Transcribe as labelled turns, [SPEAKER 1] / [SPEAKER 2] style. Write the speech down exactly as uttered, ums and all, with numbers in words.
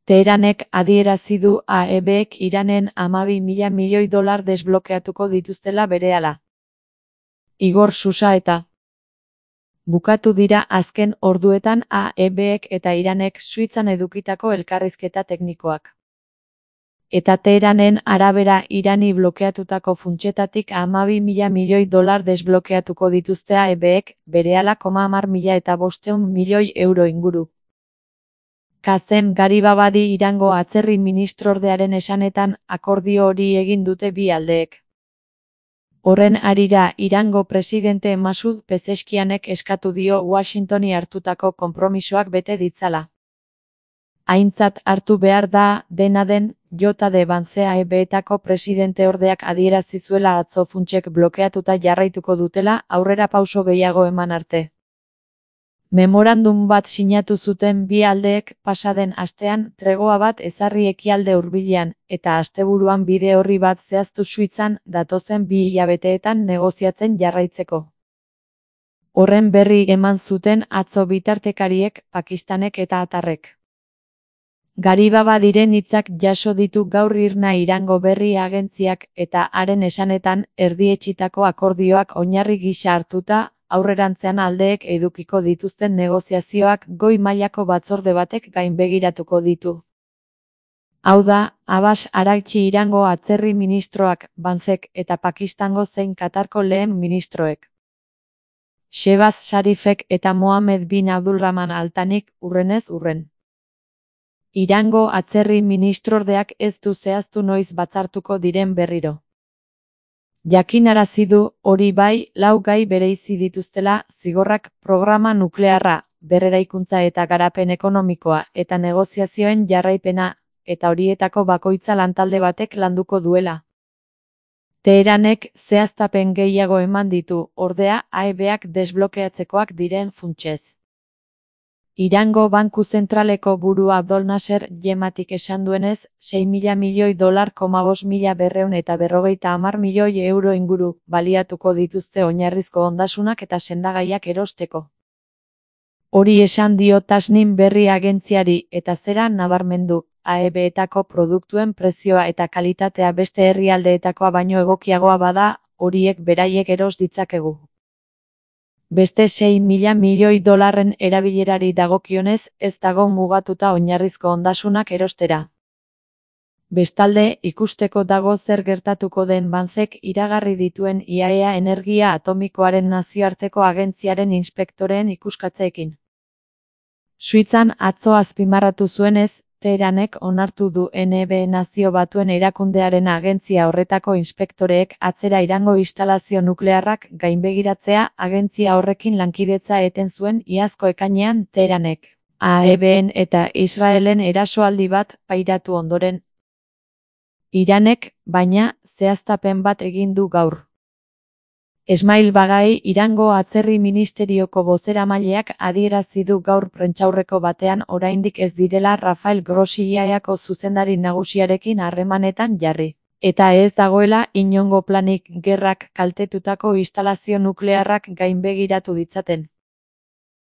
[SPEAKER 1] Teheranek adierazi du A E Bek Iranen hamabi mila milioi dolar desblokeatuko dituztela berehala. Igor Susa eta bukatu dira azken orduetan A E Bek eta Iranek Suitzan edukitako elkarrizketa teknikoak. Eta Teheranen arabera Irani blokeatutako funtsetatik hamabi mila milioi dolar desblokeatuko dituzte A E Bek, berehala koma hamar mila eta bostehun milioi euro inguru. Kazem Garibabadi Irango atzerri ministrordearen esanetan akordio hori egin dute bi aldeek. Horren harira Irango presidente Masud Pezeskianek eskatu dio Washingtoni hartutako konpromisoak bete ditzala. Aintzat hartu behar da, dena den, J D Vance A E Betako presidenteordeak adierazi zuela atzo funtsek blokeatuta jarraituko dutela aurrera pauso gehiago eman arte. Memorandum bat sinatu zuten bi aldeek pasaden astean tregoa bat ezarri ekialde hurbilean, eta asteburuan bide orri bat zehaztu Suitzan datozen bi hilabeteetan negoziatzen jarraitzeko. Horren berri eman zuten atzo bitartekariek, Pakistanek eta Atarrek. Garibabadiren hitzak jaso ditu gaur Irna Irango berri agentziak eta haren esanetan erdietsitako akordioak oinarri gisa hartuta, aurrerantzean aldeek edukiko dituzten negoziazioak goi mailako batzorde batek gainbegiratuko ditu. Hau da, Abbas Araghchi Irango atzerri ministroak, Vancek eta Pakistango zein Katarko lehen ministroek. Shehbaz Sharifek eta Mohammed bin Abdulrahman Al Thanik hurrenez hurren. Irango atzerri ministrordeak ez du zehaztu noiz batzartuko diren berriro. Jakinarazi du, hori bai, lau gai bereizi dituztela, zigorrak, programa nuklearra, berreraikuntza eta garapen ekonomikoa eta negoziazioen jarraipena, eta horietako bakoitza lantalde batek landuko duela. Teheranek zehaztapen gehiago eman ditu, ordea, A E Bak desblokeatzekoak diren funtsez. Irango Banku Zentraleko burua Abdol Nasser Jematik esan duenez, sei mila milioi dolar koma bost mila berrehun eta berrogeita hamar milioi euro inguru baliatuko dituzte oinarrizko ondasunak eta sendagaiak erosteko. Hori esan dio Tasnim berri agentziari eta zera nabarmendu, A E Betako produktuen prezioa eta kalitatea beste herrialdeetakoa baino egokiagoa bada, horiek beraiek eros ditzakegu. Beste sei mila milioi dolarren erabilerari dagokionez ez dago mugatuta oinarrizko ondasunak erostera. Bestalde, ikusteko dago zer gertatuko den Vancek iragarri dituen I A E A energia atomikoaren nazioarteko agentziaren inspektoreen ikuskatzeekin. Suitzan atzo azpimarratu zuenez, Teheranek onartu du N B Nazio Batuen erakundearen agentzia horretako inspektoreek atzera Irango instalazio nuklearrak gainbegiratzea agentzia horrekin lankidetza eten zuen iazko ekainean Teheranek. A E Ben eta Israelen erasoaldi bat pairatu ondoren. Iranek, baina, zehaztapen bat egin du gaur. Esmail Bagai Irango atzerri ministerioko bozeramaileak adierazi du gaur prentsaurreko batean oraindik ez direla Rafael Grossi I A E Ako zuzendari nagusiarekin harremanetan jarri, eta ez dagoela inongo planik gerrak kaltetutako instalazio nuklearrak gainbegiratu ditzaten.